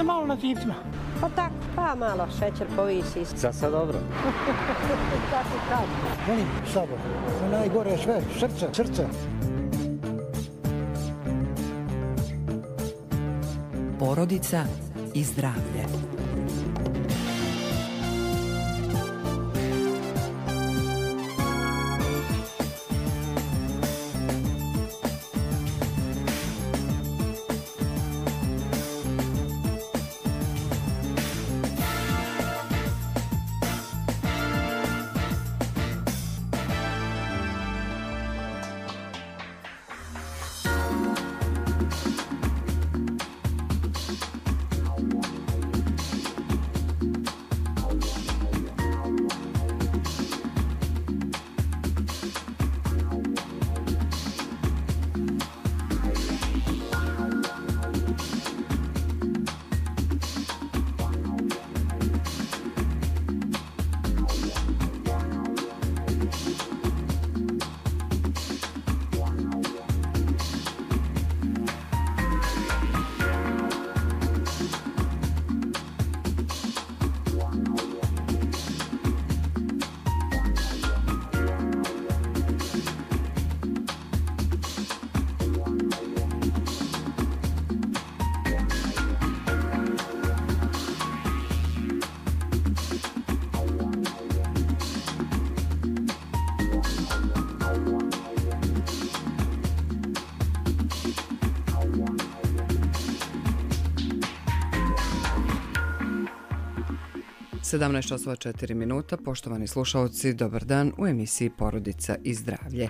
se malo na tipcima. Pa tako, pa malo šećer povisi. Sad dobro. Tako kad. Volim sabor. Najgore sve, srce. Porodica i zdravlje. časova 4 minuta. Poštovani slušalci, dobar dan u emisiji Porodica i zdravlje.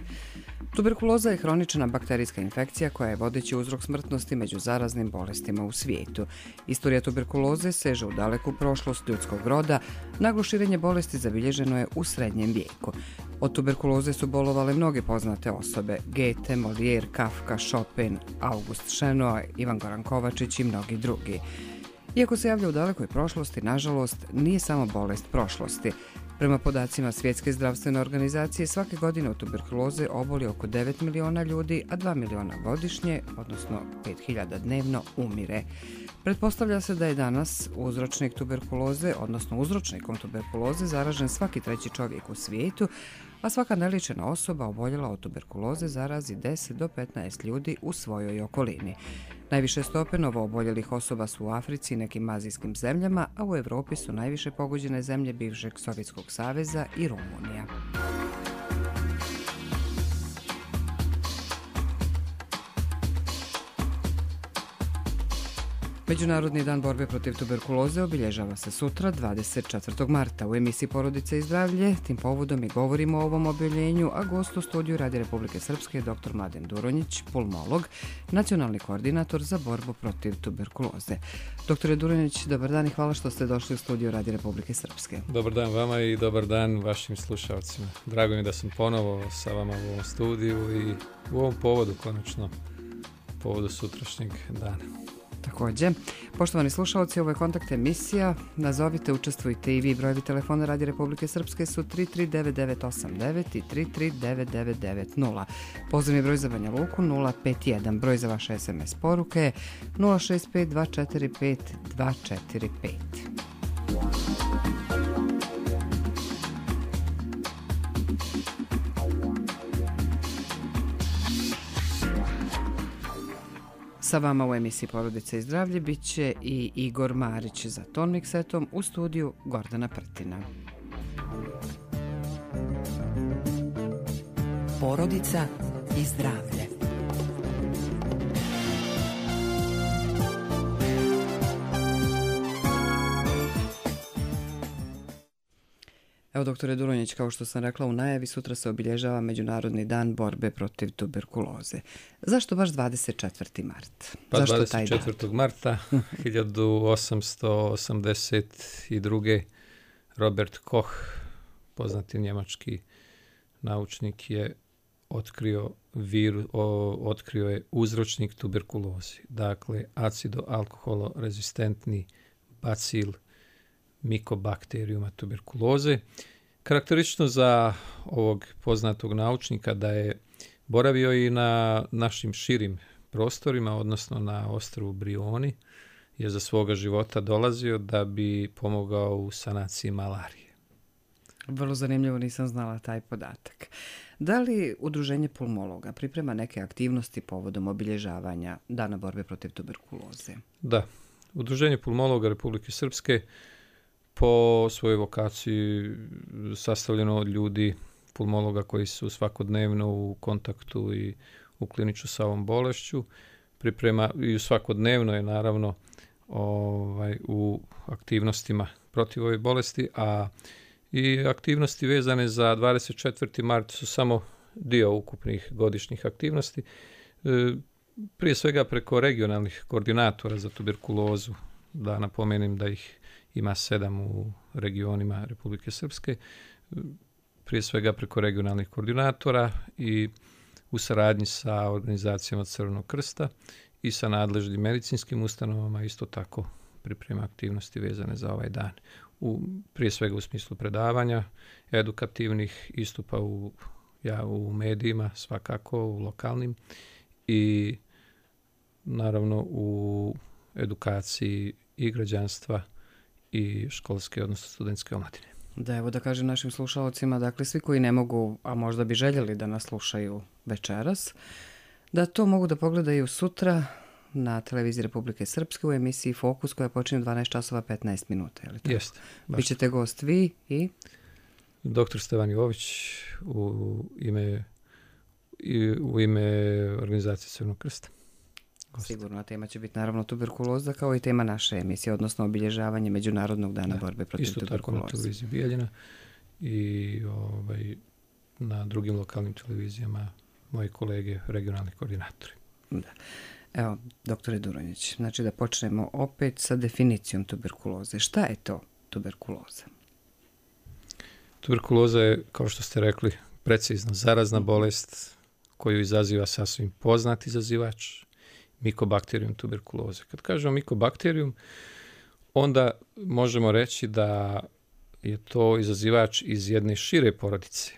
Tuberkuloza je hronična bakterijska infekcija koja je vodeći uzrok smrtnosti među zaraznim bolestima u svijetu. Istorija tuberkuloze seže u daleku prošlost ljudskog roda. Naglo širenje bolesti zabilježeno je u srednjem vijeku. Od tuberkuloze su bolovale mnoge poznate osobe: Goethe, Molière, Kafka, Chopin, August Šenoa, Ivan Goran Kovačić i mnogi drugi. Iako se javlja u dalekoj prošlosti, nažalost, nije samo bolest prošlosti. Prema podacima Svjetske zdravstvene organizacije, svake godine od tuberkuloze oboli oko 9 miliona ljudi, a 2 miliona godišnje, odnosno 5.000 dnevno, umire. Pretpostavlja se da je danas uzročnik tuberkuloze, odnosno uzročnikom tuberkuloze, zaražen svaki treći čovjek u svijetu, a svaka neliječena osoba oboljela od tuberkuloze zarazi 10 do 15 ljudi u svojoj okolini. Najviše stope novooboljelih osoba su u Africi i nekim azijskim zemljama, a u Europi su najviše pogođene zemlje bivšeg Sovjetskog saveza i Rumunija. Međunarodni dan borbe protiv tuberkuloze obilježava se sutra, 24. marta. U emisiji Porodice i zdravlje tim povodom i govorimo o ovom obiljenju, a gost u studiju Radija Republike Srpske je dr. Mladen Duronjić, pulmolog, nacionalni koordinator za borbu protiv tuberkuloze. Doktore Duronjić, dobar dan i hvala što ste došli u studiju Radija Republike Srpske. Dobar dan vama i dobar dan vašim slušalcima. Drago mi je da sam ponovo sa vama u ovom studiju i u ovom povodu, konačno, povodu sutrašnjeg dana. Također, poštovani slušalci, ovo je kontakt emisija. Nazovite, učestvujte i vi. Brojevi telefona Radija Republike Srpske su 339989 i 339990. Pozivni broj za Banja Luku 051. Broj za vaše SMS poruke je 065245245. Sa vama u emisiji Porodice i zdravlje bit će i Igor Marić za ton miksetom, u studiju Gordana Prtina. Porodica i zdravlje. Evo, doktore Duronjić, kao što sam rekla u najavi, sutra se obilježava Međunarodni dan borbe protiv tuberkuloze. Zašto baš 24. mart? Pa zašto 24. marta 1882. Robert Koch, poznati njemački naučnik, je otkrio je uzročnik tuberkuloze. Dakle, acido-alkoholorezistentni bacil Mycobacteriuma tuberkuloze. Karakteristično za ovog poznatog naučnika da je boravio i na našim širim prostorima, odnosno na ostrvu Brioni je za svoga života dolazio da bi pomogao u sanaciji malarije. Vrlo zanimljivo, nisam znala taj podatak. Da li Udruženje pulmologa priprema neke aktivnosti povodom obilježavanja Dana borbe protiv tuberkuloze? Da, Udruženje pulmologa Republike Srpske po svojoj vokaciji sastavljeno od ljudi pulmologa koji su svakodnevno u kontaktu i u kliniču sa ovom bolešću, priprema i svakodnevno je naravno u aktivnostima protiv ove bolesti, a i aktivnosti vezane za 24. mart su samo dio ukupnih godišnjih aktivnosti. Prije svega preko regionalnih koordinatora za tuberkulozu, da napomenem da ih ima 7 u regionima Republike Srpske, prije svega preko regionalnih koordinatora i u saradnji sa organizacijama Crvenog krsta i sa nadležnim medicinskim ustanovama isto tako priprema aktivnosti vezane za ovaj dan. Prije svega u smislu predavanja, edukativnih istupa u medijima, svakako u lokalnim, i naravno u edukaciji i građanstva i školske, odnosno studentske omladine. Da, evo da kažem našim slušalcima, dakle svi koji ne mogu, a možda bi željeli da nas slušaju večeras, da to mogu da pogledaju sutra na televiziji Republike Srpske u emisiji Fokus koja počinje u 12 časova 15 minuta. Jeste. Bićete gost vi i? Dr. Stevan Jović u ime organizacije Crvenog krsta. Sigurno, tema će biti naravno tuberkuloza kao i tema naše emisije, odnosno obilježavanje Međunarodnog dana borbe protiv tuberkuloze. Isto tako na televiziji Bijeljina i na drugim lokalnim televizijama moji kolege, regionalni koordinatori. Da. Evo, doktore Duronjić, znači da počnemo opet sa definicijom tuberkuloze. Šta je to tuberkuloza? Tuberkuloza je, kao što ste rekli, precizno zarazna bolest koju izaziva sasvim poznat izazivač, Mycobacterium tuberkuloze. Kad kažemo Mycobacterium, onda možemo reći da je to izazivač iz jedne šire porodice,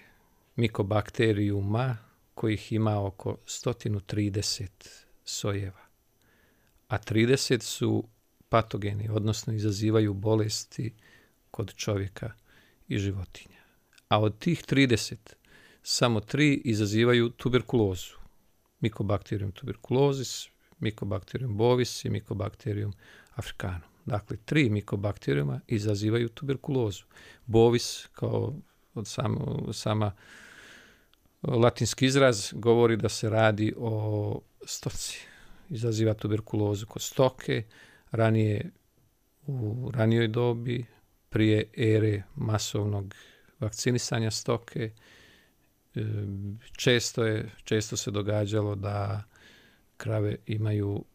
Mycobacteriuma, kojih ima oko 130 sojeva. A 30 su patogeni, odnosno izazivaju bolesti kod čovjeka i životinja. A od tih 30, samo 3 izazivaju tuberkulozu. Mycobacterium tuberculosis, Mycobacterium bovis i Mycobacterium africanum. Dakle, 3 Mycobacteriuma izazivaju tuberkulozu. Bovis, kao od sama latinski izraz, govori da se radi o stoci. Izaziva tuberkulozu kod stoke, u ranijoj dobi, prije ere masovnog vakcinisanja stoke. Često se događalo da krave imaju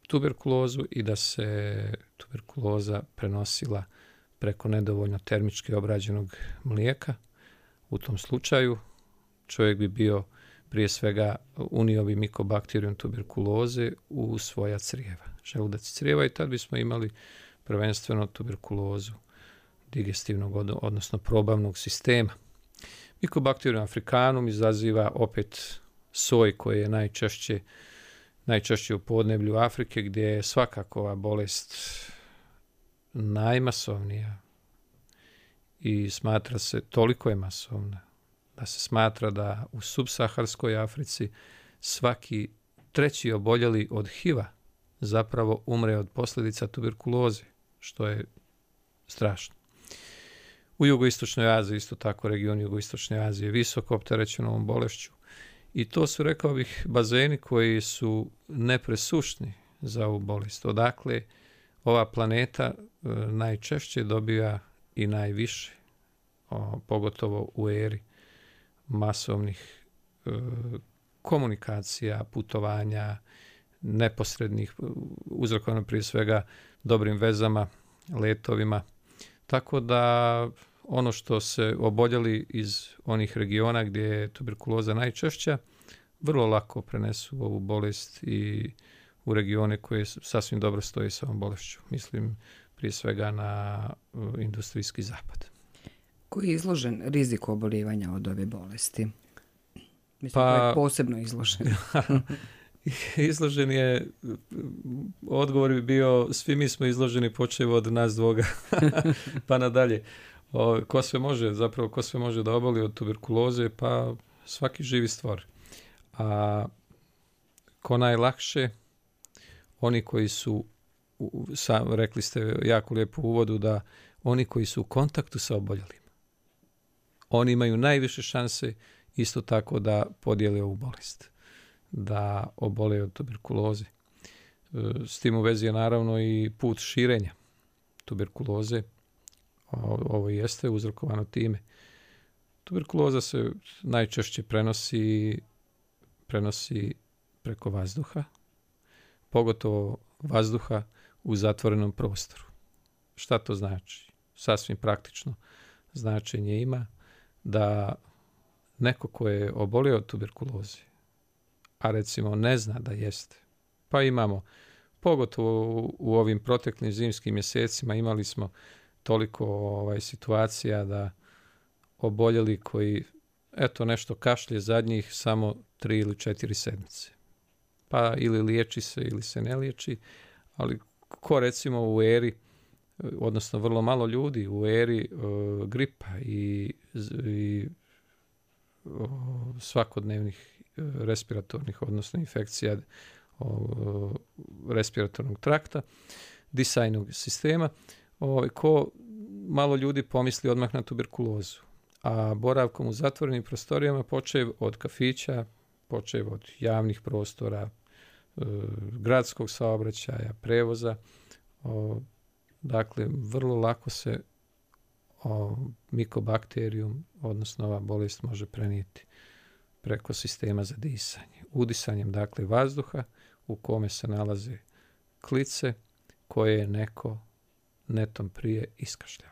tuberkulozu i da se tuberkuloza prenosila preko nedovoljno termički obrađenog mlijeka. U tom slučaju čovjek bi bio, prije svega, unio bi Mycobacterium tuberkuloze u svoja crijeva, želudac i crijeva, i tad bismo imali prvenstveno tuberkulozu digestivnog, odnosno probavnog sistema. Mycobacterium africanum izaziva opet soj koji je najčešće u podneblju Afrike, gdje je svakako ova bolest najmasovnija i smatra se, toliko je masovna, da se smatra da u subsaharskoj Africi svaki 3. oboljeli od HIV-a zapravo umre od posljedica tuberkuloze, što je strašno. U jugoistočnoj Aziji, isto tako region jugoistočne Azije, visoko opterećen ovom bolešću. I to su, rekao bih, bazeni koji su nepresušni za ovu bolest. Odakle ova planeta najčešće dobija i najviše, pogotovo u eri masovnih komunikacija, putovanja, neposrednih, uzrokovano prije svega dobrim vezama, letovima. Tako da ono što se oboljeli iz onih regiona gdje je tuberkuloza najčešća, vrlo lako prenesu ovu bolest i u regione koje sasvim dobro stoje sa ovom bolešću. Mislim prije svega na industrijski zapad. Koji je izložen riziku oboljevanja od ove bolesti? Mislim, koji je posebno izložen. Izložen je, odgovor bi bio, svi mi smo izloženi počev od nas dvoga pa nadalje. Ko sve može da oboli od tuberkuloze? Pa svaki živi stvar. A ko najlakše? Oni koji su, rekli ste jako lijepo u uvodu, da oni koji su u kontaktu sa oboljelim, oni imaju najviše šanse isto tako da podijele ovu bolest, da obole od tuberkuloze. S tim u vezi je naravno i put širenja tuberkuloze. Ovo jeste uzrokovano time. Tuberkuloza se najčešće prenosi preko vazduha, pogotovo vazduha u zatvorenom prostoru. Šta to znači? Sasvim praktično značenje ima da neko ko je obolio od tuberkuloze, a recimo ne zna da jeste, pa imamo, pogotovo u ovim proteklim zimskim mjesecima, imali smo toliko situacija da oboljeli koji, eto, nešto kašlje zadnjih samo 3 ili 4 sedmice. Pa ili liječi se ili se ne liječi, ali ko recimo u eri, odnosno vrlo malo ljudi u eri gripa i svakodnevnih respiratornih, odnosno infekcija respiratornog trakta, disajnog sistema, ko malo ljudi pomisli odmah na tuberkulozu. A boravkom u zatvorenim prostorijama, počev od kafića, počev od javnih prostora, gradskog saobraćaja, prevoza, dakle, vrlo lako se mikobakterijum, odnosno ova bolest, može prenijeti preko sistema za disanje. Udisanjem, dakle, vazduha u kome se nalaze klice koje je neko netom prije iskašljao.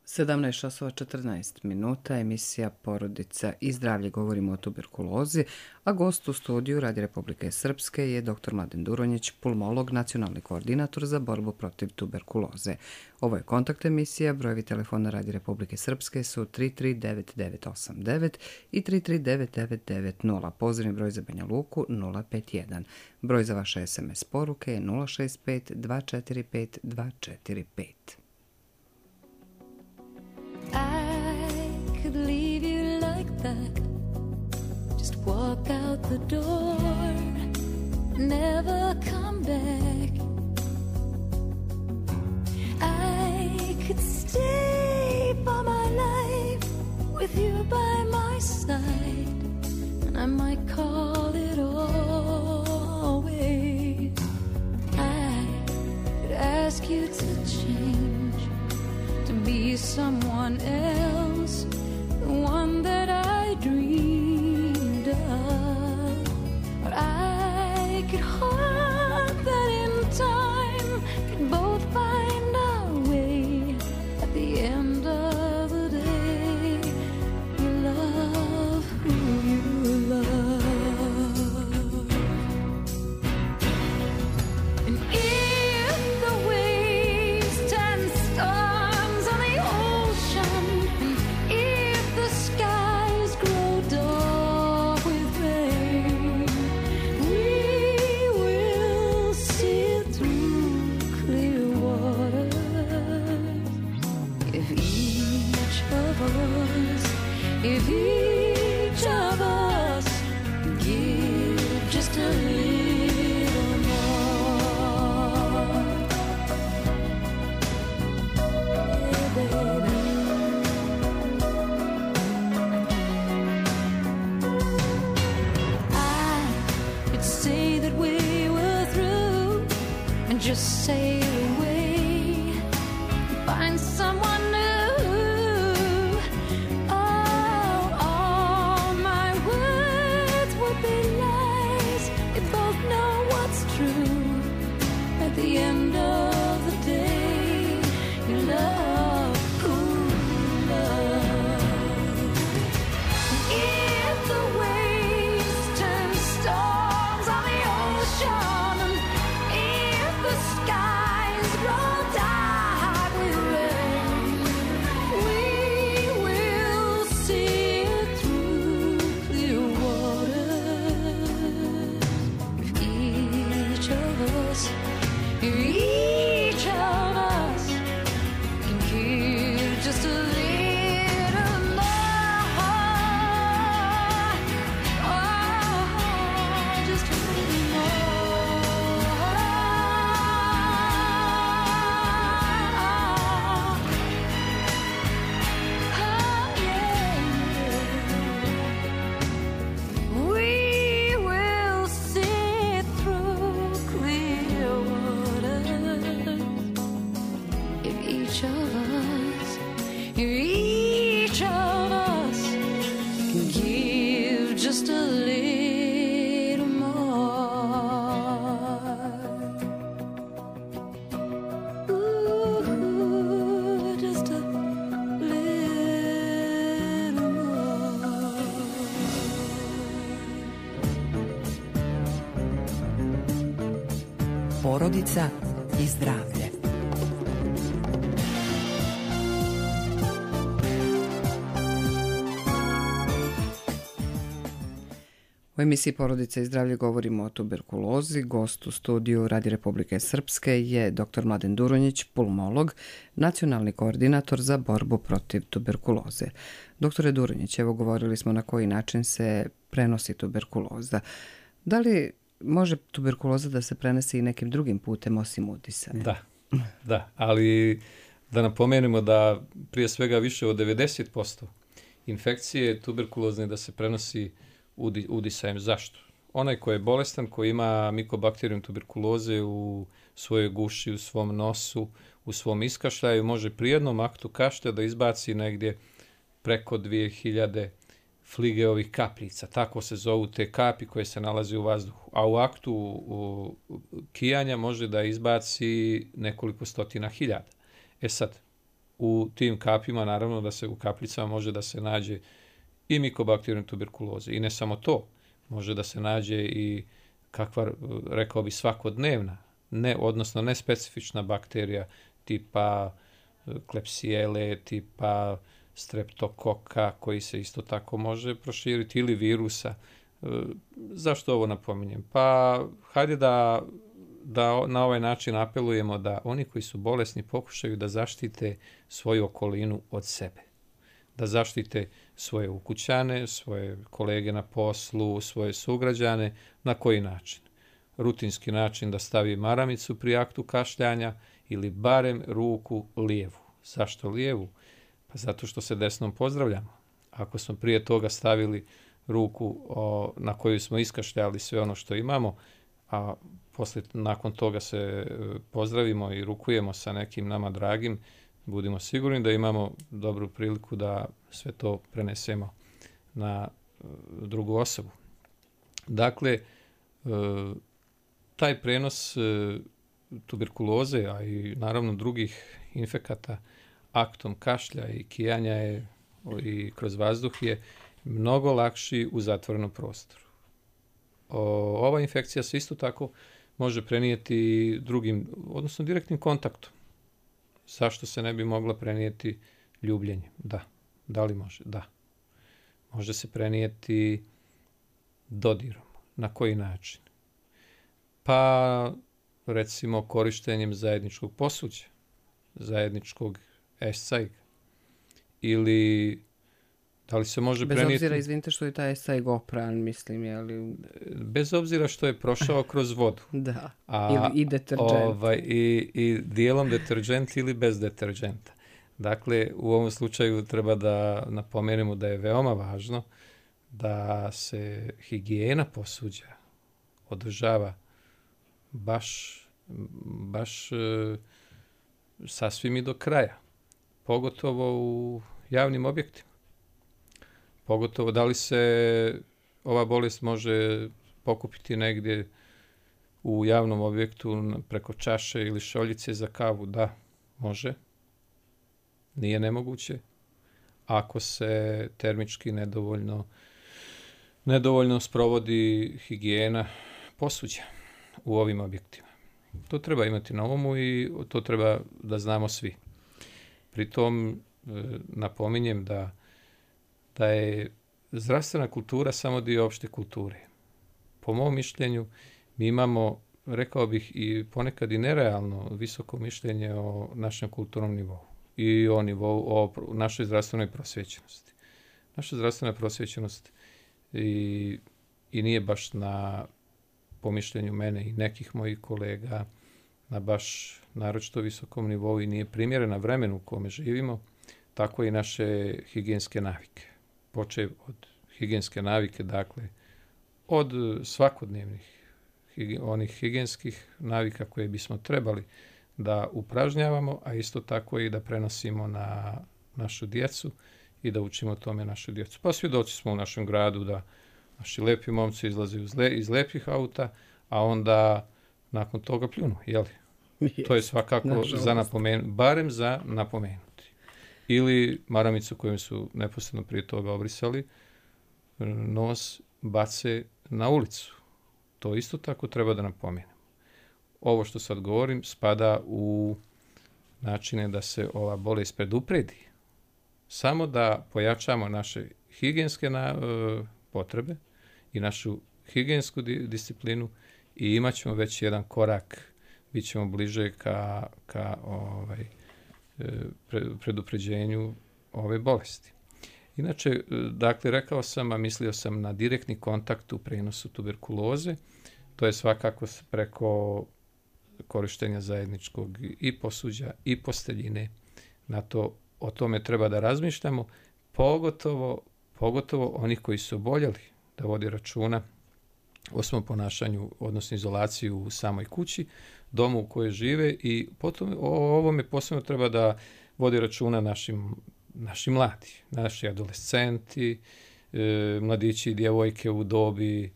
17:14, emisija Porodica i zdravlje, govorimo o tuberkulozi, a gost u studiju Radi Republike Srpske je dr. Mladen Duronjić, pulmolog, nacionalni koordinator za borbu protiv tuberkuloze. Ovo je kontakt emisija, brojevi telefona Radi Republike Srpske su 339989 i 339990, pozivni broj za Banja Luku 051. Broj za vaše SMS poruke je 065 245 245. I could leave you like that, just walk out the door, never come back. I could stay for my life with you by my side, and I might call it always. I could ask you to change, to be someone else, the one that I dreamed of. But I could hope that in time could both find our way. At the end of the day, you love who you love. And if the waves turn storms on the ocean, and if the skies grow dark with rain, we will each of us, if each of us can give just a little more. Ooh, just a little more. Porodica i zdravlje. U emisiji Porodica i zdravlje govorimo o tuberkulozi. Gost u studiju Radi Republike Srpske je dr. Mladen Durunjić, pulmolog, nacionalni koordinator za borbu protiv tuberkuloze. Doktore Durunjić, evo govorili smo na koji način se prenosi tuberkuloza. Da li može tuberkuloza da se prenese i nekim drugim putem osim udisanja? Da, ali da napomenemo da prije svega više od 90% infekcije tuberkulozne da se prenosi udisajem. Zašto? Onaj ko je bolestan, ko ima mikobakterijum tuberkuloze u svojoj guši, u svom nosu, u svom iskašljaju, može pri jednom aktu kašlja da izbaci negdje preko 2000 Fligeovih kapljica. Tako se zovu te kapi koje se nalaze u vazduhu. A u aktu kijanja može da izbaci nekoliko stotina hiljada. Sad, u tim kapima, naravno da se u kapljicama može da se nađe i mikobakterijum tuberkuloze. I ne samo to, može da se nađe i kakva, rekao bi, svakodnevna, odnosno nespecifična bakterija tipa klepsijele, tipa streptokoka, koji se isto tako može proširiti, ili virusa. Zašto ovo napominjem? Pa, hajde da na ovaj način apelujemo da oni koji su bolesni pokušaju da zaštite svoju okolinu od sebe. Da zaštite svoje ukućane, svoje kolege na poslu, svoje sugrađane. Na koji način? Rutinski način da stavi maramicu pri aktu kašljanja ili barem ruku lijevu. Zašto lijevu? Pa zato što se desnom pozdravljamo. Ako smo prije toga stavili ruku na koju smo iskašljali sve ono što imamo, a nakon toga se pozdravimo i rukujemo sa nekim nama dragim, budimo sigurni da imamo dobru priliku da sve to prenesemo na drugu osobu. Dakle, taj prenos tuberkuloze, a i naravno drugih infekata aktom kašlja i kijanja i kroz vazduh je mnogo lakši u zatvorenom prostoru. Ova infekcija se isto tako može prenijeti drugim, odnosno direktnim kontaktom. Zašto se ne bi mogla prenijeti ljubljenjem? Da. Da li može? Da. Može se prenijeti dodirom. Na koji način? Pa, recimo, korištenjem zajedničkog posuđa, zajedničkog escajga. Ili da li se može prenijeti... Bez obzira, izvinite, što je taj escajg opran, mislim, je li... Bez obzira što je prošao kroz vodu. Da, ili i deterđent. I dijelom deterđent ili bez deterđenta. Dakle, u ovom slučaju treba da napomenemo da je veoma važno da se higijena posuđa održava baš sasvim i do kraja. Pogotovo u javnim objektima. Pogotovo da li se ova bolest može pokupiti negdje u javnom objektu preko čaše ili šoljice za kavu? Da, može. Nije nemoguće. Ako se termički nedovoljno sprovodi higijena posuđa u ovim objektima. To treba imati na umu i to treba da znamo svi. Pritom napominjem da je zdravstvena kultura samo dio opšte kulture. Po mom mišljenju mi imamo, rekao bih, i ponekad i nerealno visoko mišljenje o našem kulturnom nivou i o našoj zdravstvenoj prosvjećenosti. Naša zdravstvena prosvjećenost i nije baš po mišljenju mene i nekih mojih kolega na baš naročito visokom nivou i nije primjerena vremenu u kome živimo, tako i naše higijenske navike. Počev od higijenske navike, dakle, od svakodnevnih onih higijenskih navika koje bismo trebali da upražnjavamo, a isto tako i da prenosimo na našu djecu i da učimo tome našu djecu. Pa svjedoci smo u našem gradu da naši lepi momci izlaze iz lepih auta, a onda nakon toga pljunu, jeli? To je svakako za napomenuti, barem za napomenuti. Ili maramicu koju su neposredno prije toga obrisali, nos bace na ulicu. To isto tako treba da napomenemo. Ovo što sad govorim spada u načine da se ova bolest predupredi. Samo da pojačamo naše higijenske potrebe i našu higijensku disciplinu i imat ćemo već jedan korak, bit ćemo bliže ka predupređenju ove bolesti. Inače, dakle, rekao sam, a mislio sam na direktni kontakt u prenosu tuberkuloze. To je svakako preko korištenja zajedničkog i posuđa i posteljine. O tome treba da razmišljamo, pogotovo oni koji su oboljeli, da vodi računa o svom ponašanju, odnosno izolaciji u samoj kući, domu u kojoj žive i potom o ovome posebno treba da vodi računa naši mladi, naši adolescenti, mladići i djevojke u dobi,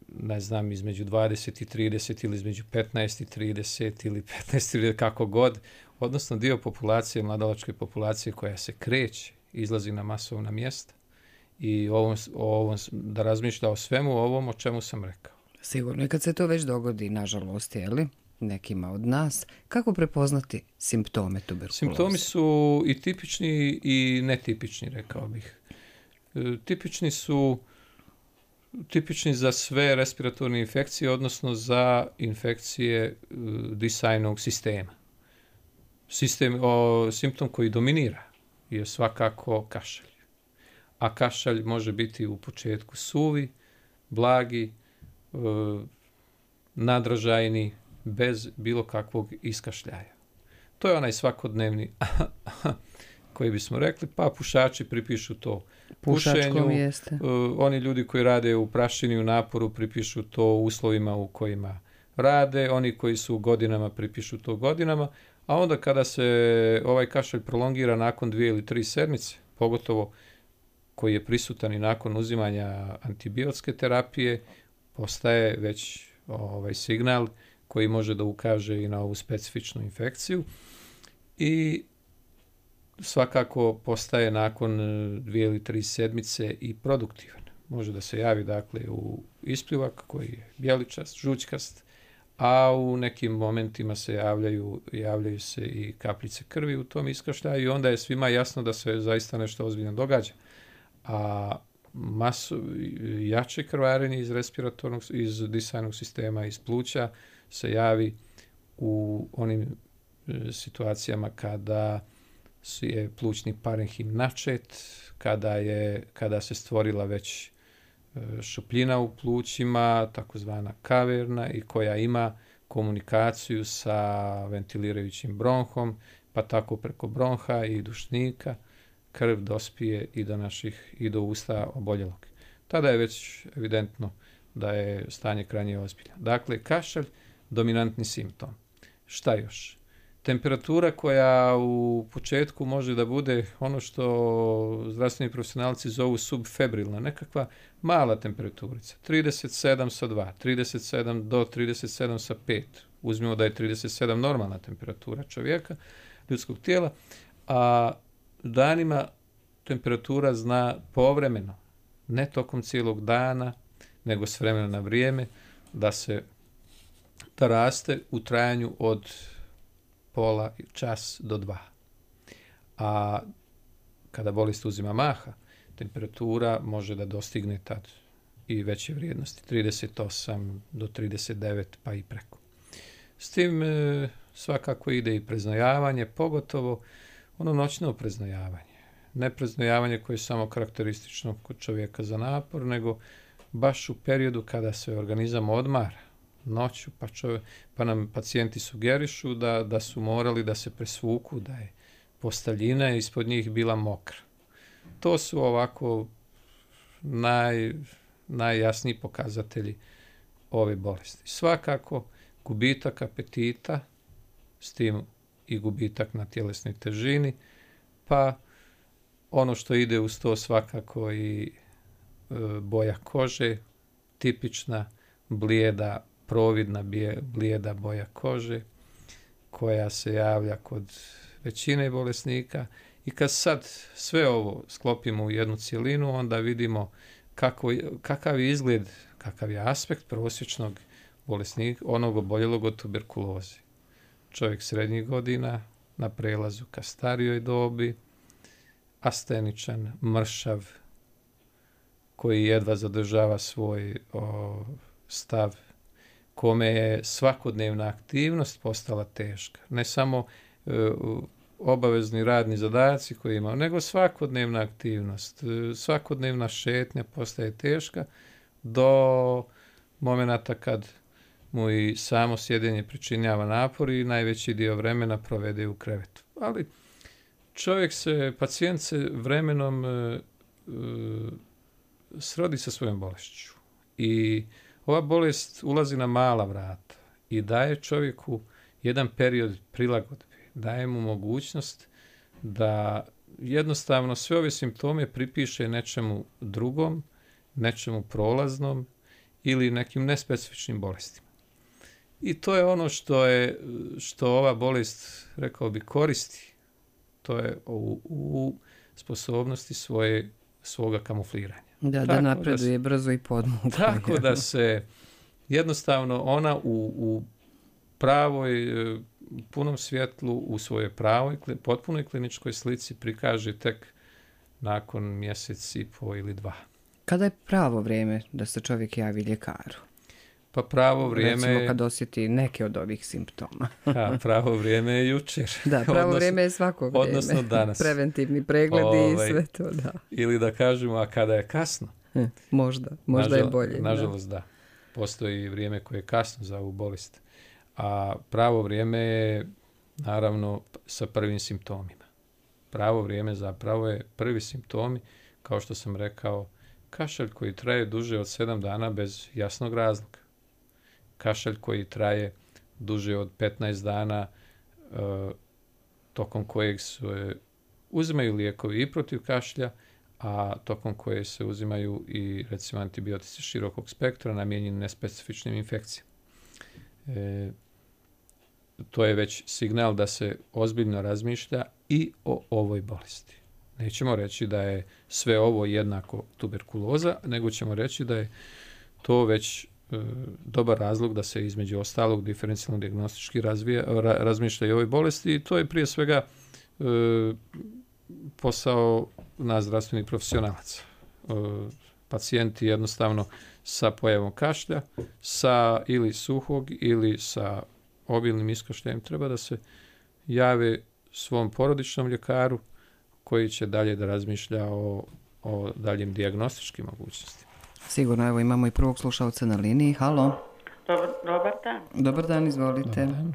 ne znam, između 20 i 30 ili između 15 i 30 ili 15 ili kako god, odnosno dio populacije, mladalačke populacije koja se kreće, izlazi na masovna mjesta i da razmišlja o svemu ovom o čemu sam rekao. Sigurno. I kad se to već dogodi, nažalost, nekima od nas, kako prepoznati simptome tuberkuloze? Simptomi su i tipični i netipični, rekao bih. Tipični za sve respiratorne infekcije, odnosno za infekcije disajnog sistema. Simptom koji dominira je svakako kašalj. A kašalj može biti u početku suvi, blagi, nadražajni, bez bilo kakvog iskašljaja. To je onaj svakodnevni koji bismo rekli, pa pušači pripišu to pušenju. Oni ljudi koji rade u prašini, u naporu, pripišu to uslovima u kojima rade. Oni koji su godinama, pripišu to godinama. A onda kada se ovaj kašalj prolongira nakon 2 ili 3 sedmice, pogotovo koji je prisutan i nakon uzimanja antibiotske terapije, postaje već signal koji može da ukaže i na ovu specifičnu infekciju i svakako postaje nakon 2 ili 3 sedmice i produktivan. Može da se javi dakle u ispljuvak koji je bijeličast, žućkast, a u nekim momentima se javljaju se i kapljice krvi u tom iskašljaju i onda je svima jasno da se zaista nešto ozbiljno događa. A jače krvarenje iz disajnog sistema, iz pluća se javi u onim situacijama kada je plućni parenhim načet, kada se stvorila već šupljina u plućima, takozvana kaverna i koja ima komunikaciju sa ventilirajućim bronhom, pa tako preko bronha i dušnika krv dospije i do usta oboljelog. Tada je već evidentno da je stanje krajnje ozbiljno. Dakle, kašalj, dominantni simptom. Šta još? Temperatura koja u početku može da bude ono što zdravstveni profesionalci zovu subfebrilna, nekakva mala temperaturica, 37 sa 2, 37 do 37 sa 5. Uzmimo da je 37 normalna temperatura čovjeka, ljudskog tijela, a danima temperatura zna povremeno, ne tokom cijelog dana, nego s vremena na vrijeme, da raste u trajanju od pola čas do 2. A kada bolest uzima maha, temperatura može da dostigne tad i veće vrijednosti, 38 do 39 pa i preko. S tim svakako ide i preznojavanje, pogotovo ono noćno preznojavanje. Ne preznojavanje koje je samo karakteristično kod čovjeka za napor, nego baš u periodu kada se organizam odmara noću, pa nam pacijenti sugerišu da su morali da se presvuku, da je posteljina ispod njih bila mokra. To su ovako najjasniji pokazatelji ove bolesti. Svakako gubitak apetita, s tim i gubitak na tjelesnoj težini, pa ono što ide uz to svakako i boja kože, tipična blijeda, providna blijeda boja kože, koja se javlja kod većine bolesnika. I kad sad sve ovo sklopimo u jednu cjelinu, onda vidimo kakav je izgled, kakav je aspekt prosječnog bolesnika, onog oboljelog od tuberkuloze. Čovjek srednjih godina, na prelazu ka starijoj dobi, asteničan, mršav, koji jedva zadržava svoj stav, kome je svakodnevna aktivnost postala teška. Ne samo obavezni radni zadaci koje ima, nego svakodnevna aktivnost, svakodnevna šetnja postaje teška do momenata kad mu i samo sjedenje pričinjava napor i najveći dio vremena provede u krevetu. Ali pacijent se vremenom srodi sa svojom bolešću i ova bolest ulazi na mala vrata i daje čovjeku jedan period prilagodbe, daje mu mogućnost da jednostavno sve ove simptome pripiše nečemu drugom, nečemu prolaznom ili nekim nespecifičnim bolestima. I to je ono što ova bolest, rekao bi, koristi. To je u sposobnosti svoga kamufliranja. Da napreduje brzo i podmuklo. Tako da se jednostavno ona u pravoj, punom svjetlu, u svojoj pravoj, potpunoj kliničkoj slici prikaže tek nakon mjesec i po ili 2. Kada je pravo vrijeme da se čovjek javi ljekaru? Pa pravo vrijeme... Recimo kad osjeti neke od ovih simptoma. Pravo vrijeme je jučer. Da, pravo vrijeme je svako vrijeme. Odnosno danas. Preventivni pregledi i sve to, da. Ili da kažemo, a kada je kasno? Možda je bolje. Nažalost, da. Postoji vrijeme koje je kasno za ovu bolest. A pravo vrijeme je, naravno, sa prvim simptomima. Pravo vrijeme zapravo je prvi simptomi, kao što sam rekao, kašalj koji traje duže od 7 dana bez jasnog razloga. Kašalj koji traje duže od 15 dana, tokom kojeg se uzimaju lijekovi i protiv kašlja, a tokom koje se uzimaju i, recimo, antibiotici širokog spektra namijenjeni nespecifičnim infekcijama. To je već signal da se ozbiljno razmišlja i o ovoj bolesti. Nećemo reći da je sve ovo jednako tuberkuloza, nego ćemo reći da je to već dobar razlog da se između ostalog diferencijalno dijagnostički razmišlja i o ovoj bolesti. I to je prije svega posao nas zdravstvenih profesionalaca. Pacijenti jednostavno sa pojavom kašlja, sa ili suhog ili sa obilnim iskašljajem treba da se jave svom porodičnom ljekaru koji će dalje da razmišlja o daljim dijagnostičkim mogućnostima. Sigurno, evo imamo i prvog slušalca na liniji. Halo. Dobar dan. Dobar dan, izvolite. Dobar dan.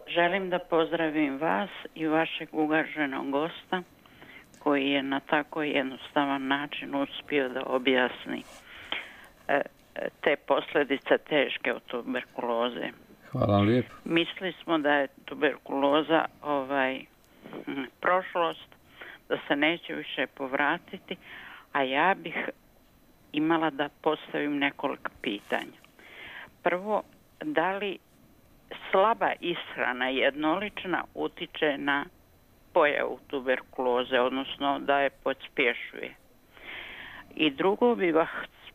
Želim da pozdravim vas i vašeg uvaženog gosta koji je na tako jednostavan način uspio da objasni te posljedice teške od tuberkuloze. Hvala vam lijepo. Mislili smo da je tuberkuloza prošlost, da se neće više povratiti, a ja bih imala da postavim nekoliko pitanja. Prvo, da li slaba ishrana jednolična utiče na pojavu tuberkuloze, odnosno da je pospješuje? I drugo bi vas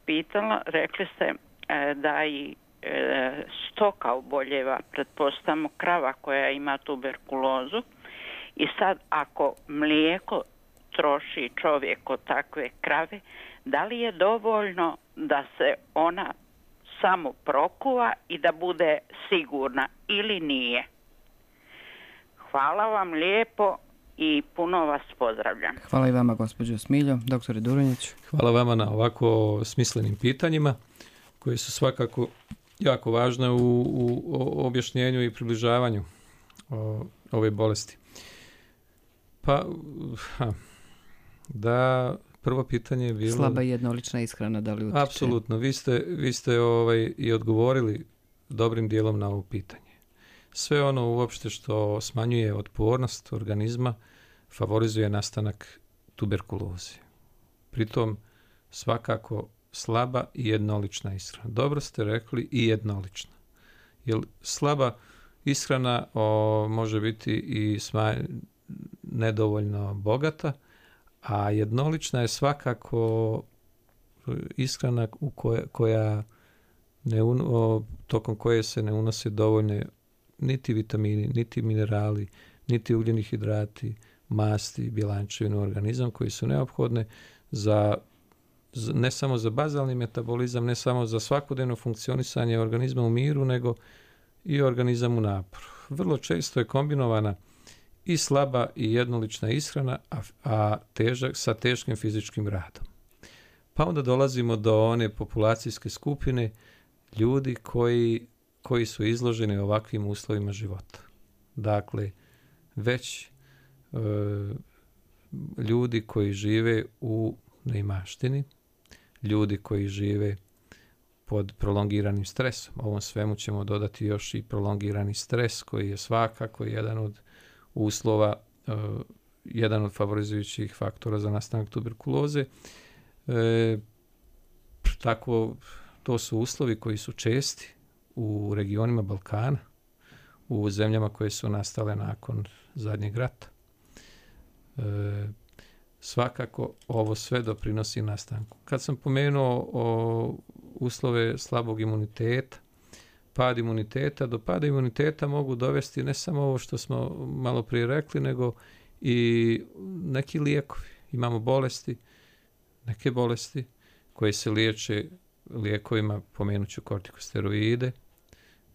pitala, rekli ste da i stoka oboljeva, pretpostavljamo krava koja ima tuberkulozu, i sad ako mlijeko troši čovjek od takve krave, da li je dovoljno da se ona samo prokuva i da bude sigurna ili nije? Hvala vam lijepo i puno vas pozdravljam. Hvala i vama, gospođo Smiljo. Doktore Duronjić. Hvala vama na ovako smislenim pitanjima koje su svakako jako važne u objašnjenju i približavanju ove bolesti. Pa, da, prvo pitanje je bilo... Slaba i jednolična ishrana, da li utiče? Apsolutno, vi ste i odgovorili dobrim dijelom na ovo pitanje. sve ono uopšte što smanjuje otpornost organizma favorizuje nastanak tuberkuloze. Pritom svakako slaba i jednolična ishrana. Dobro ste rekli, i jednolična. Jer slaba ishrana može biti i nedovoljno bogata, a jednolična je svakako ishrana tokom koje se ne unose dovoljne niti vitamini, niti minerali, niti ugljeni hidrati, masti, bjelančevine u organizam koji su neophodne ne samo za bazalni metabolizam, ne samo za svakodnevno funkcionisanje organizma u miru, nego i organizam u naporu. Vrlo često je kombinovana i slaba i jednolična ishrana, a sa teškim fizičkim radom. Pa onda dolazimo do one populacijske skupine ljudi koji su izloženi ovakvim uslovima života. Dakle, već ljudi koji žive u neimaštini, ljudi koji žive pod prolongiranim stresom. Ovom svemu ćemo dodati još i prolongirani stres koji je svakako jedan od uslova, jedan od favorizujućih faktora za nastanak tuberkuloze. Tako, to su uslovi koji su česti u regionima Balkana, u zemljama koje su nastale nakon zadnjeg rata. Svakako ovo sve doprinosi nastanku. Kad sam pomenuo uslove slabog imuniteta, pad imuniteta, do pada imuniteta mogu dovesti ne samo ovo što smo malo prije rekli, nego i neki lijekovi. Imamo neke bolesti koje se liječe lijekovima, pomenut ću kortikosteroide,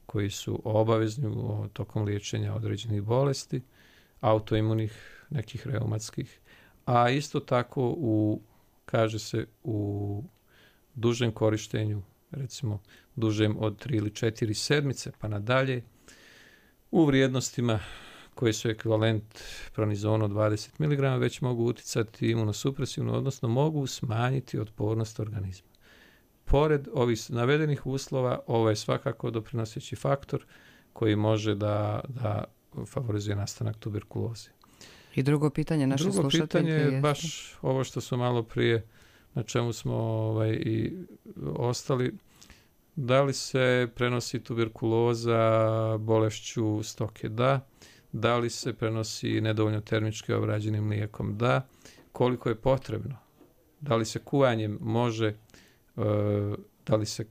koji su obavezni tokom liječenja određenih bolesti, autoimunih, nekih reumatskih, a isto tako kaže se u dužem korištenju, recimo dužem od 3 ili 4 sedmice pa nadalje, u vrijednostima koje su ekvivalent pronizonu 20 mg već mogu uticati imunosupresivno, odnosno mogu smanjiti otpornost organizma. Pored ovih navedenih uslova, ovo je svakako doprinoseći faktor koji može da favorizuje nastanak tuberkuloze. I drugo pitanje naše slušateljke je... Drugo pitanje je baš ovo što su malo prije, na čemu smo i ostali. Da li se prenosi tuberkuloza bolešću stoke? Da. Da li se prenosi nedovoljno termički obrađenim mlijekom? Da. Koliko je potrebno? Da li se kuvanjem može, da li se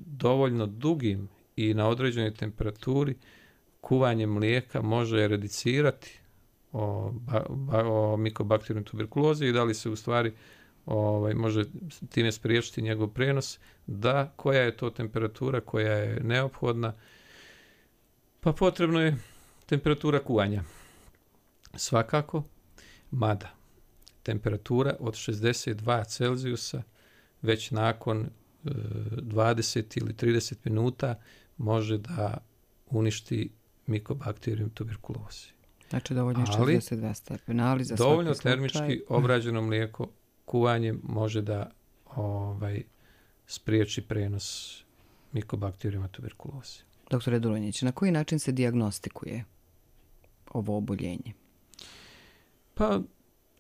dovoljno dugim i na određenoj temperaturi kuvanjem mlijeka može eradicirati o mikobakterijnoj tuberkulozi i da li se u stvari može time spriječiti njegov prenos? Da. Koja je to temperatura koja je neophodna? Pa potrebno je temperatura kuvanja. Svakako, mada temperatura od 62 Celzijusa već nakon 20 ili 30 minuta može da uništi mikobakterijum tuberkulozi. Znači dovoljno je 62 stepena, ali za dovoljno svaki slučaj... termički obrađeno mlijeko kuvanjem može da spriječi prenos mikobakterijuma tuberkuloze. Doktore Dulonjić, na koji način se dijagnostikuje ovo oboljenje? Pa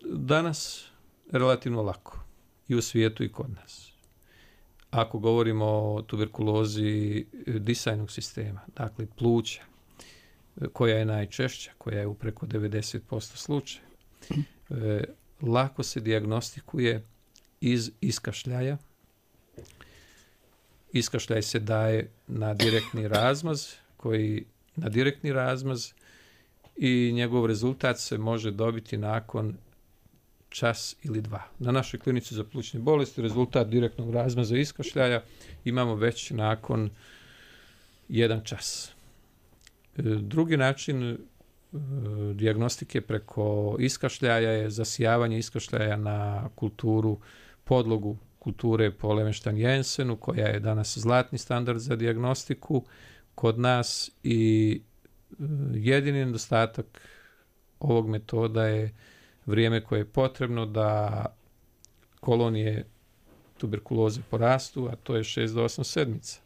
danas relativno lako i u svijetu i kod nas. Ako govorimo o tuberkulozi disajnog sistema, dakle pluća, koja je najčešća, koja je u preko 90% slučaja, lako se dijagnostikuje iz iskašljaja. Iskašljaj se daje na direktni razmaz i njegov rezultat se može dobiti nakon čas ili dva. Na našoj klinici za plućne bolesti rezultat direktnog razmaza iskašljaja imamo već nakon 1 čas. Drugi način dijagnostike preko iskašljaja je zasijavanje iskašljaja na podlogu kulture po Levenštajn-Jensenu, koja je danas zlatni standard za dijagnostiku kod nas i jedini nedostatak ovog metoda je vrijeme koje je potrebno da kolonije tuberkuloze porastu, a to je 6 do 8 sedmica.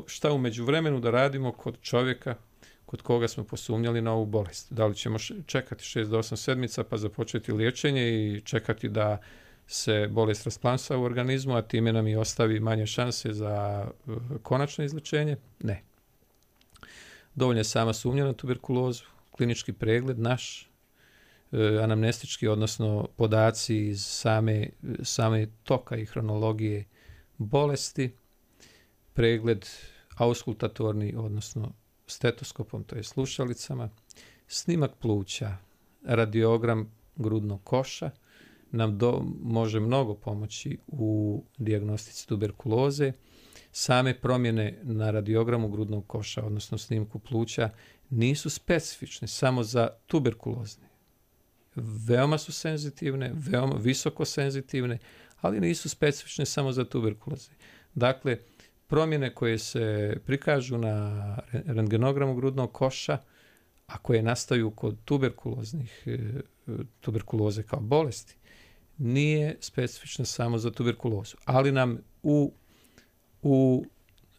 šta u međuvremenu da radimo kod čovjeka kod koga smo posumnjali na ovu bolest. Da li ćemo čekati 6 do 8 sedmica pa započeti liječenje i čekati da se bolest rasplamsa u organizmu, a time nam i ostavi manje šanse za konačno izlečenje? Ne. Dovoljno je sama sumnja na tuberkulozu, klinički pregled naš, anamnestički, odnosno podaci iz same toka i hronologije bolesti, pregled auskultatorni, odnosno stetoskopom, to je slušalicama, snimak pluća, radiogram grudnog koša nam može mnogo pomoći u dijagnostici tuberkuloze. Same promjene na radiogramu grudnog koša, odnosno snimku pluća, nisu specifične samo za tuberkulozne. Veoma su senzitivne, veoma visoko senzitivne, ali nisu specifične samo za tuberkuloze. Dakle, promjene koje se prikažu na rentgenogramu grudnog koša, a koje nastaju kod tuberkuloze kao bolesti, nije specifična samo za tuberkulozu. Ali nam u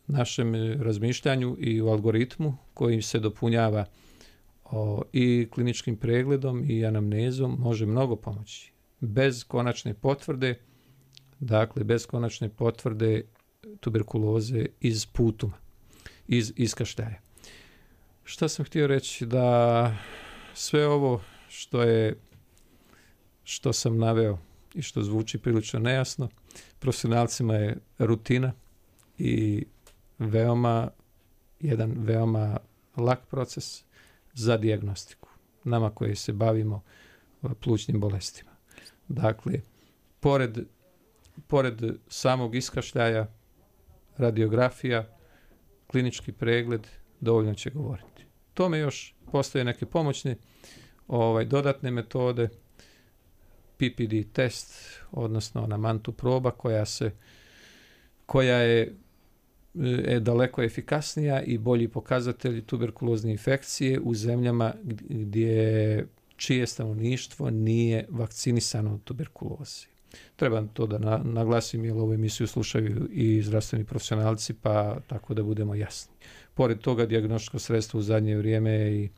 našem razmišljanju i u algoritmu koji se dopunjava i kliničkim pregledom i anamnezom može mnogo pomoći. Bez konačne potvrde, tuberkuloze iz putuma, iz kašljaja. Šta sam htio reći? Da sve ovo što sam naveo i što zvuči prilično nejasno, profesionalcima je rutina i jedan veoma lak proces za dijagnostiku. Nama koji se bavimo plućnim bolestima. Dakle, pored samog iskašljaja, radiografija, klinički pregled dovoljno će govoriti. Tome još postoje neke pomoćne dodatne metode, PPD test, odnosno ona mantu proba koja je daleko efikasnija i bolji pokazatelj tuberkulozne infekcije u zemljama čije stanovništvo nije vakcinisano od tuberkuloze. Treba to da naglasim, jer ovu emisiju slušaju i zdravstveni profesionalci, pa tako da budemo jasni. Pored toga, dijagnostičko sredstvo u zadnje vrijeme je i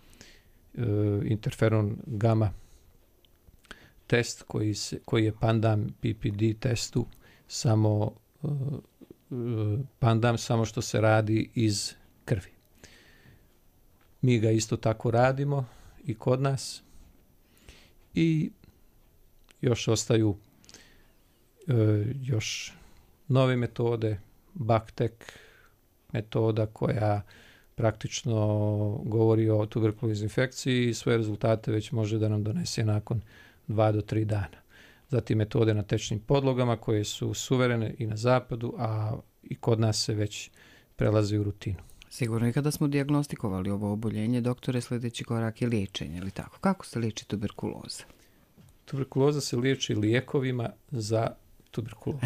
interferon gamma test koji je pandam PPD testu, samo što se radi iz krvi. Mi ga isto tako radimo i kod nas i još ostaju još nove metode, BACTEC metoda koja praktično govori o tuberkuloznoj infekciji i svoje rezultate već može da nam donese nakon 2 do 3 dana. Zatim metode na tečnim podlogama koje su suverene i na zapadu, a i kod nas se već prelazi u rutinu. Sigurno i kada smo dijagnostikovali ovo oboljenje, doktore, sljedeći korak je liječenje, ili tako? Kako se liječi tuberkuloza? Tuberkuloza se liječi lijekovima za tuberkulozu.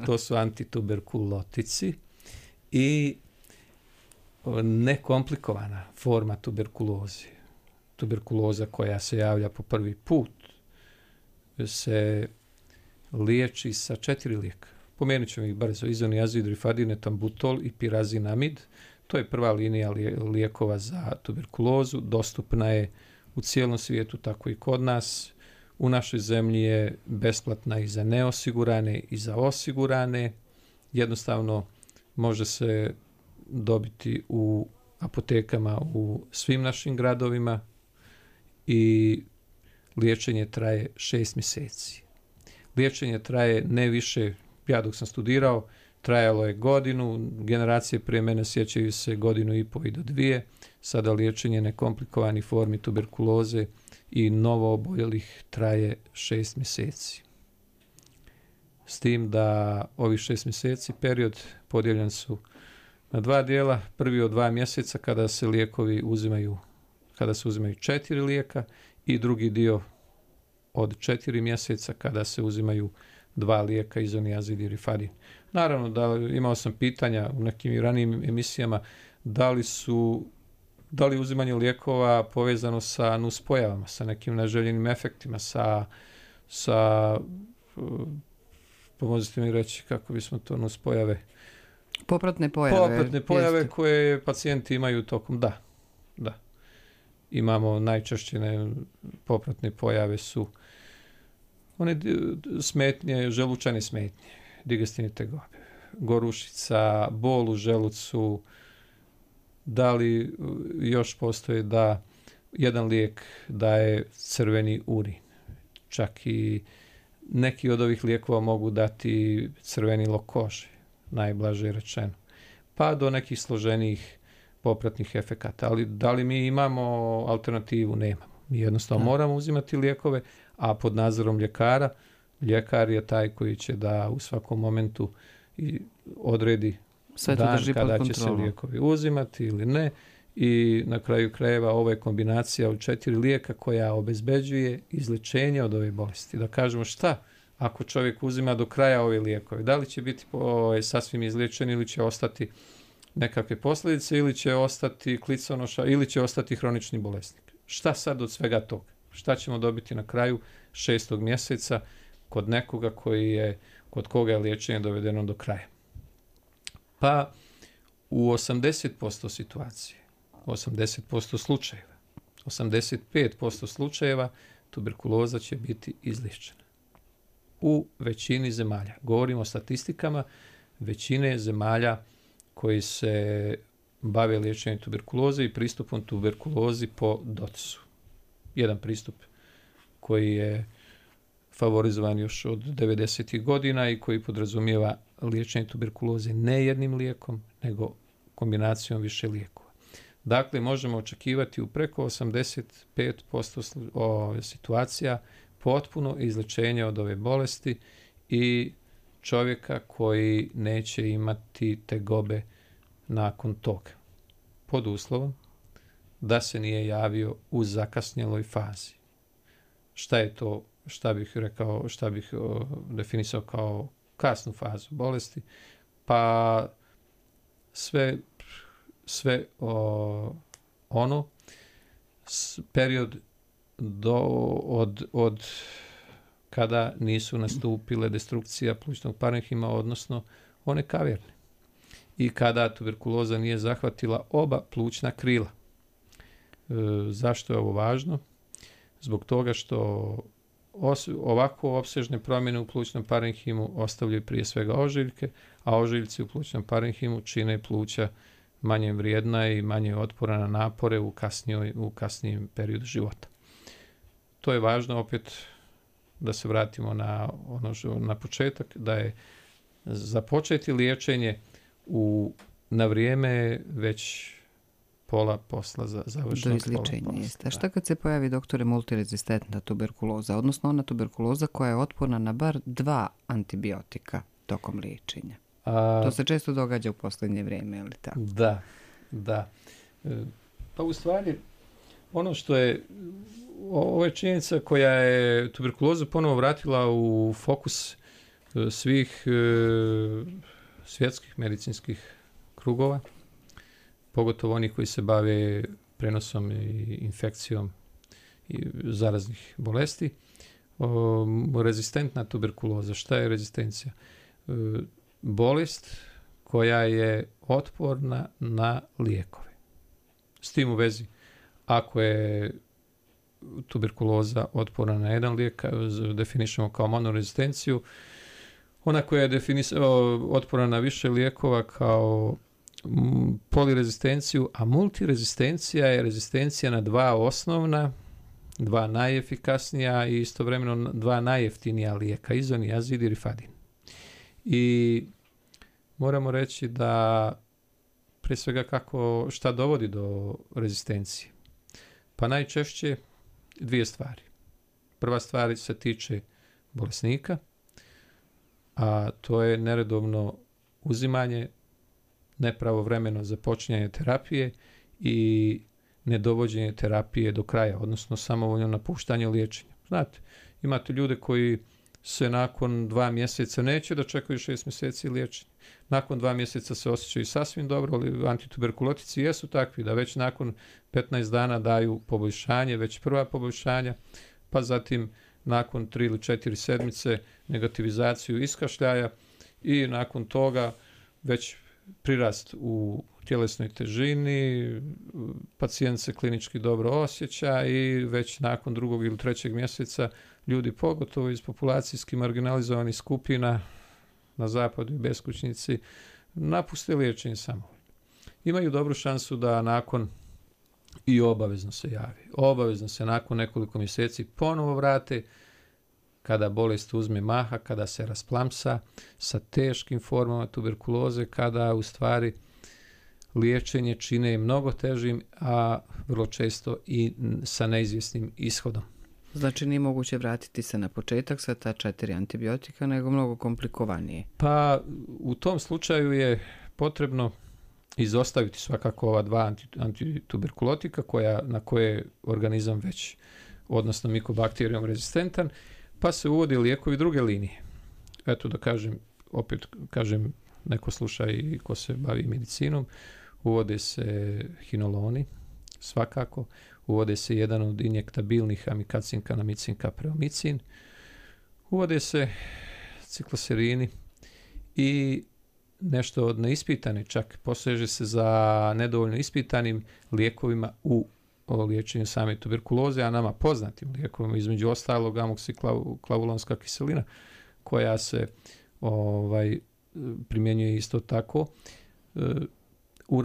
To su antituberkulotici i nekomplikovana forma tuberkuloze. Tuberkuloza koja se javlja po prvi put se liječi sa 4 lijeka. Pomenut ćemo ih brzo: izoniazid, rifadin, etambutol i pirazinamid. To je prva linija lijekova za tuberkulozu. Dostupna je u cijelom svijetu, tako i kod nas. U našoj zemlji je besplatna i za neosigurane i za osigurane. Jednostavno može se dobiti u apotekama u svim našim gradovima i liječenje traje 6 mjeseci. Liječenje traje ne više, ja dok sam studirao, trajalo je godinu, generacije prije mene sjećaju se 1,5 do 2. Sada liječenje nekomplikovanih formi tuberkuloze i novo oboljelih traje 6 mjeseci. S tim da ovih 6 mjeseci period podijeljen su na 2 dijela. Prvi od 2 mjeseca kada se lijekovi uzimaju 4 lijeka i drugi dio od 4 mjeseca kada se uzimaju 2 lijeka, izoniazid i rifadin. Naravno da imao sam pitanja u nekim ranijim emisijama da li uzimanje lijekova povezano sa nuspojavama, sa nekim neželjenim efektima, pomozite mi reći kako bismo to nuspojave Popratne pojave. Jeste. Koje pacijenti imaju tokom, da. Imamo najčešće popratne pojave su one smetnje, želučane smetnje, digestivne tegobe, gorušica, bol u želucu, da li još postoje da jedan lijek daje crveni urin. Čak i neki od ovih lijekova mogu dati crvenilo kože, najblaže rečeno. Pa do nekih složenijih popratnih efekata. Ali da li mi imamo alternativu? Nemamo. Mi jednostavno moramo uzimati lijekove, a pod nadzorom ljekara. Ljekar je taj koji će da u svakom momentu odredi dan kada će se lijekovi uzimati ili ne. I na kraju krajeva ovo je kombinacija od 4 lijeka koja obezbeđuje izlječenje od ove bolesti. Da kažemo šta ako čovjek uzima do kraja ove lijekove. Da li će biti sasvim izliječen ili će ostati nekakve posljedice ili će ostati kliconoša ili će ostati hronični bolesnik. Šta sad od svega toga? Šta ćemo dobiti na kraju 6. mjeseca kod nekoga kod koga je liječenje dovedeno do kraja? Pa u 80% situacije, 80% slučajeva, 85% slučajeva tuberkuloza će biti izliječena. U većini zemalja. Govorimo o statistikama većine zemalja koji se bave liječenjem tuberkuloze i pristupom tuberkulozi po DOTS-u. Jedan pristup koji je favorizovan još od 90. godina i koji podrazumijeva liječenje tuberkuloze ne jednim lijekom, nego kombinacijom više lijekova. Dakle, možemo očekivati u preko 85% situacija potpuno izlječenje od ove bolesti i čovjeka koji neće imati tegobe nakon toga. Pod uslovom da se nije javio u zakasnjeloj fazi. Šta je to, šta bih definisao kao kasnu fazu bolesti? Pa sve period od kada nisu nastupile destrukcija plućnog parenhima, odnosno one kaverne. I kada tuberkuloza nije zahvatila oba plućna krila. Zašto je ovo važno? Zbog toga što ovako opsežne promjene u plućnom parenhimu ostavljaju prije svega ožiljke, a ožiljci u plućnom parenhimu čine pluća manje vrijedna i manje otporna na napore u kasnijem periodu života. To je važno opet da se vratimo na početak, da je započeti liječenje na vrijeme već pola posla završeno. Do izliječenja jeste. A šta kad se pojavi, doktore, multirezistentna tuberkuloza, odnosno ona tuberkuloza koja je otporna na bar 2 antibiotika tokom liječenja? To se često događa u posljednje vrijeme, ali tako? Da. Pa u stvari, ono što je, ovo je činjenica koja je tuberkulozu ponovo vratila u fokus svih svjetskih medicinskih krugova, pogotovo oni koji se bave prenosom i infekcijom i zaraznih bolesti. Rezistentna tuberkuloza. Šta je rezistencija? Bolest koja je otporna na lijekove. S tim u vezi, ako je tuberkuloza otporna na jedan lijek, definišemo kao monorezistenciju, ona koja je otporna na više lijekova kao polirezistenciju, a multirezistencija je rezistencija na 2 osnovna, 2 najefikasnija i istovremeno 2 najjeftinija lijeka, izoniazid i rifadin. I moramo reći da prije svega šta dovodi do rezistencije. Pa najčešće 2 stvari. Prva stvar se tiče bolesnika, a to je neredovno uzimanje, nepravovremeno započinjanje terapije i nedovođenje terapije do kraja, odnosno samovoljno napuštanje liječenja. Znate, imate ljude koji se nakon 2 mjeseca neće da čekaju 6 mjeseci liječenja. Nakon 2 mjeseca se osjećaju sasvim dobro, ali antituberkulotici jesu takvi da već nakon 15 dana daju poboljšanje, već prva poboljšanja, pa zatim nakon 3 ili 4 sedmice negativizaciju iskašljaja i nakon toga već prirast u tjelesnoj težini, pacijent se klinički dobro osjeća i već nakon 2. ili 3. mjeseca ljudi, pogotovo iz populacijski marginalizovanih skupina na zapadu i beskućnici, napuste liječenje samovoljno. Imaju dobru šansu da nakon, i obavezno se javi, obavezno se nakon nekoliko mjeseci ponovo vrate, kada bolest uzme maha, kada se rasplamsa sa teškim formama tuberkuloze, kada u stvari liječenje čine mnogo težim, a vrlo često i sa neizvjesnim ishodom. Znači nije moguće vratiti se na početak sa ta 4 antibiotika, nego mnogo komplikovanije. Pa u tom slučaju je potrebno izostaviti svakako ova 2 antituberkulotika na koje je organizam već, odnosno mikobakterijom rezistentan, pa se uvodi lijekovi druge linije. Eto da kažem, opet kažem, neko sluša i ko se bavi medicinom, uvode se hinoloni, svakako, uvode se jedan od injektabilnih amikacin, kanamicin, kapreomicin, uvode se cikloserini i nešto od neispitanih, čak poseže se za nedovoljno ispitanim lijekovima u liječenju same tuberkuloze, a nama poznatim lijekovima, između ostalog amoksiklavulanska kiselina, koja se primjenjuje isto tako u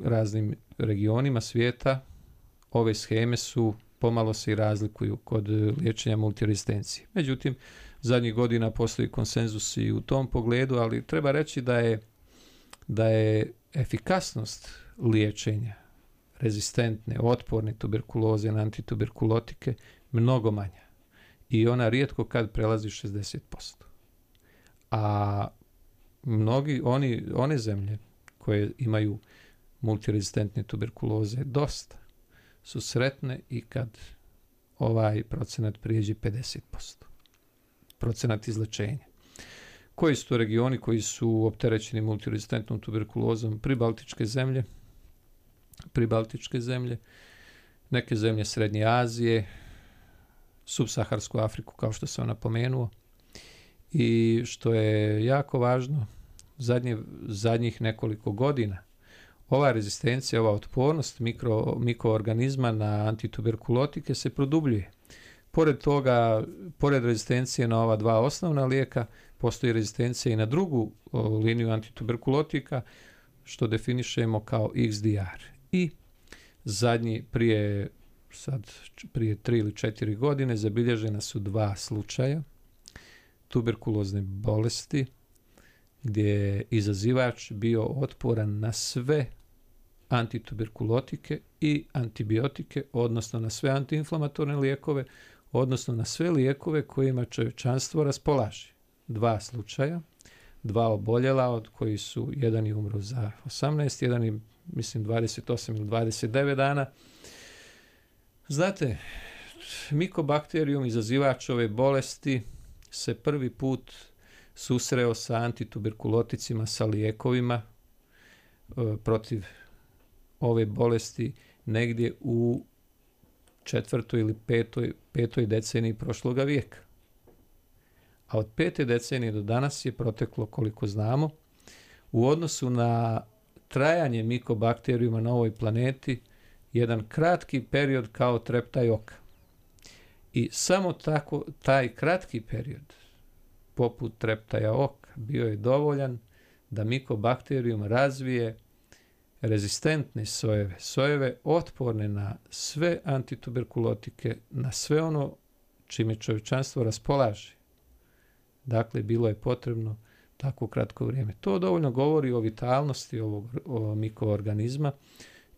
raznim regionima svijeta. Ove sheme su pomalo se i razlikuju kod liječenja multirezistencije. Međutim, zadnjih godina postoji konsenzus i u tom pogledu, ali treba reći da je efikasnost liječenja rezistentne, otporne tuberkuloze na antituberkulotike mnogo manja. I ona rijetko kad prelazi 60%. A one zemlje koje imaju multirezistentne tuberkuloze dosta su sretne i kad ovaj procenat prijeđe 50%. Procenat izlečenja. Koji su to regioni koji su opterećeni multirezistentnom tuberkulozom? Pribaltičke zemlje, neke zemlje Srednje Azije, subsaharsku Afriku, kao što sam napomenuo. I što je jako važno, zadnjih nekoliko godina ova rezistencija, ova otpornost mikroorganizma na antituberkulotike se produbljuje. Pored toga, pored rezistencije na ova 2 osnovna lijeka, postoji rezistencija i na drugu liniju antituberkulotika, što definišemo kao XDR. I prije 3 ili 4 godine zabilježena su 2 slučaja tuberkulozne bolesti gdje je izazivač bio otporan na sve antituberkulotike i antibiotike, odnosno na sve antiinflamatorne lijekove, odnosno na sve lijekove kojima čovječanstvo raspolaže. 2 slučaja, 2 oboljela, od koji su jedan je umro za 18, jedan je, mislim, 28 ili 29 dana. Znate, mikobakterijum izazivač ove bolesti se prvi put susreo sa antituberkuloticima, sa lijekovima protiv ove bolesti negdje u 4. ili 5. deceniji prošloga vijeka. A od 5. decenije do danas je proteklo, koliko znamo, u odnosu na trajanje mikobakterijuma na ovoj planeti, jedan kratki period kao treptaj oka. I samo tako taj kratki period, poput treptaja oka, bio je dovoljan da mikobakterijum razvije rezistentne sojeve otporne na sve antituberkulotike, na sve ono čime čovječanstvo raspolaže. Dakle, bilo je potrebno tako kratko vrijeme. To dovoljno govori o vitalnosti ovog mikroorganizma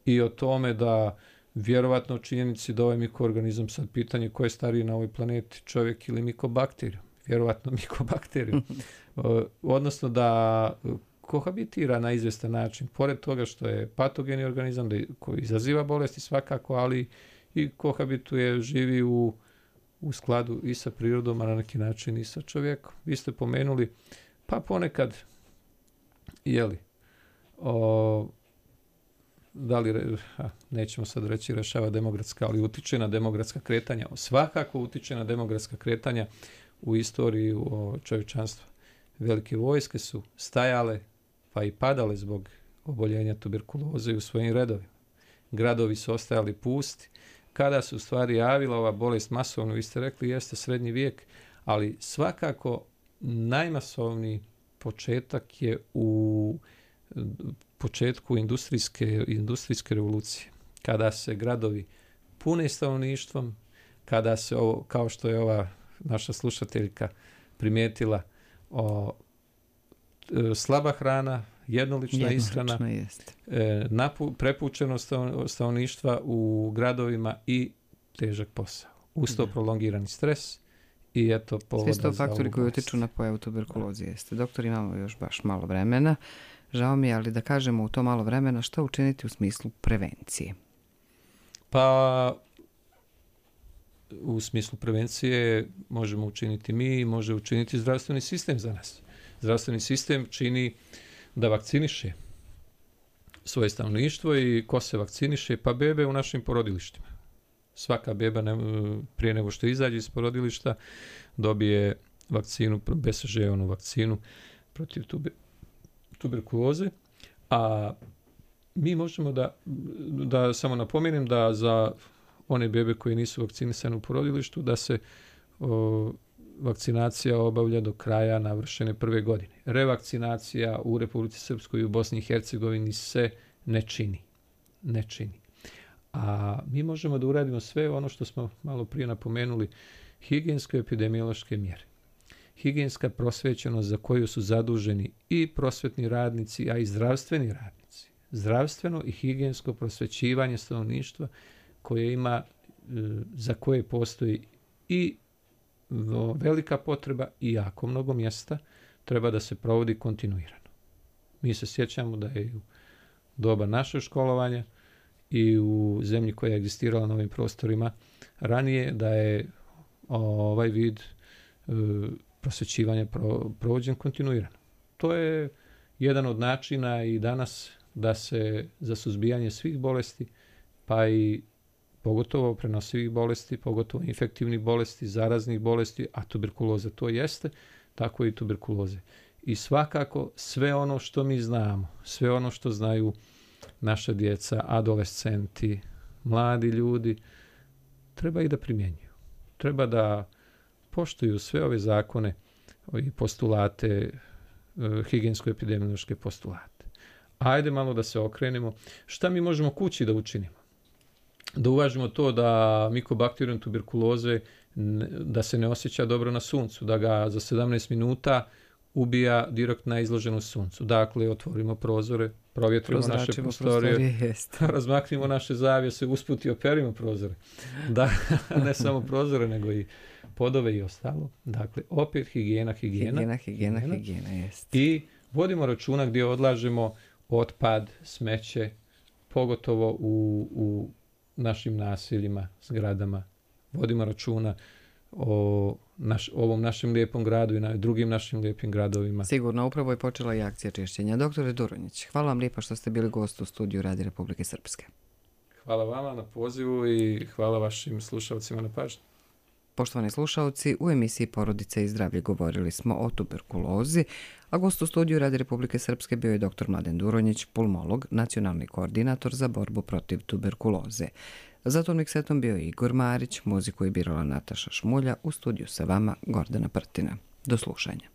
i o tome da vjerovatno o činjenici da ovaj mikroorganizam, sad pitanje ko je stariji na ovoj planeti, čovjek ili mikobakterijum? Vjerovatno mikobakterijum. Odnosno da kohabitira na izvjestan način, pored toga što je patogeni organizam koji izaziva bolesti svakako, ali i kohabituje, živi u skladu i sa prirodom, a na neki način i sa čovjekom. Vi ste pomenuli, pa ponekad, nećemo sad reći rešava demografska, ali utiče na demografska kretanja. Svakako utiče na demografska kretanja u istoriji čovječanstva. velike vojske su stajale pa i padale zbog oboljenja tuberkuloze u svojim redovima. Gradovi su ostajali pusti. Kada se u stvari javila ova bolest masovno, vi ste rekli, jeste srednji vijek, ali svakako najmasovniji početak je u početku industrijske revolucije. Kada se gradovi pune stanovništvom, kada se ovo, kao što je ova naša slušateljka primijetila, slaba hrana, jednolična ishrana, prepučeno stanovništva u gradovima i težak posao. Uz to prolongirani stres i eto povoda za ovu bolest. Svi su to faktori koji utječu na pojavu tuberkuloze. Jeste. Doktor, imamo još baš malo vremena. Žao mi je, ali da kažemo u to malo vremena što učiniti u smislu prevencije? Pa u smislu prevencije možemo učiniti mi, može učiniti zdravstveni sistem za nas. Zdravstveni sistem čini da vakciniše svoje stanovništvo i ko se vakciniše? Pa bebe u našim porodilištima. Svaka beba prije nego što izađe iz porodilišta dobije vakcinu, BCG-onu vakcinu protiv tuberkuloze, a mi možemo da samo napomenem da za one bebe koji nisu vakcinisane u porodilištu da se vakcinacija obavlja do kraja navršene prve godine. Revakcinacija u Republici Srpskoj i u Bosni i Hercegovini se ne čini. A mi možemo da uradimo sve ono što smo malo prije napomenuli, higijensko-epidemiološke mjere. Higijenska prosvećenost za koju su zaduženi i prosvetni radnici, a i zdravstveni radnici. Zdravstveno i higijensko prosvećivanje stanovništva koje ima, za koje postoji i velika potreba i jako mnogo mjesta, treba da se provodi kontinuirano. Mi se sjećamo da je u doba našeg školovanja i u zemlji koja je egzistirala na ovim prostorima ranije, da je ovaj vid prosvećivanja provođen kontinuirano. To je jedan od načina i danas da se za suzbijanje svih bolesti, pa i pogotovo prenosivih bolesti, pogotovo infektivnih bolesti, zaraznih bolesti, a tuberkuloza to jeste, tako i tuberkuloze. I svakako sve ono što mi znamo, sve ono što znaju naša djeca, adolescenti, mladi ljudi, treba i da primjenjuju. Treba da poštuju sve ove zakone i postulate, higijensko-epidemiološke postulate. Ajde malo da se okrenemo. Šta mi možemo kući da učinimo? Da uvažimo to da mikobakterijum tuberkuloze da se ne osjeća dobro na suncu, da ga za 17 minuta ubija direktno na izloženu suncu. Dakle, otvorimo prozore, provjetrimo naše prostorije, razmaknimo naše zavjese, usput i operimo prozore. Da, ne samo prozore, nego i podove i ostalo. Dakle, opet higijena. Jest. I vodimo računa gdje odlažemo otpad, smeće, pogotovo u našim naseljima, zgradama. Vodimo računa o ovom našem lijepom gradu i na drugim našim lijepim gradovima. Sigurno, upravo je počela i akcija čišćenja. Doktore Duronjić, hvala vam lijepa što ste bili gost u studiju Radija Republike Srpske. Hvala vama na pozivu i hvala vašim slušalcima na pažnji. Poštovani slušalci, u emisiji Porodice i zdravlje govorili smo o tuberkulozi, a gost u studiju Radija Republike Srpske bio je dr. Mladen Duronjić, pulmolog, nacionalni koordinator za borbu protiv tuberkuloze. Za ton miksetom bio je Igor Marić, muziku je birala Nataša Šmulja, u studiju sa vama Gordana Prtina. Do slušanja.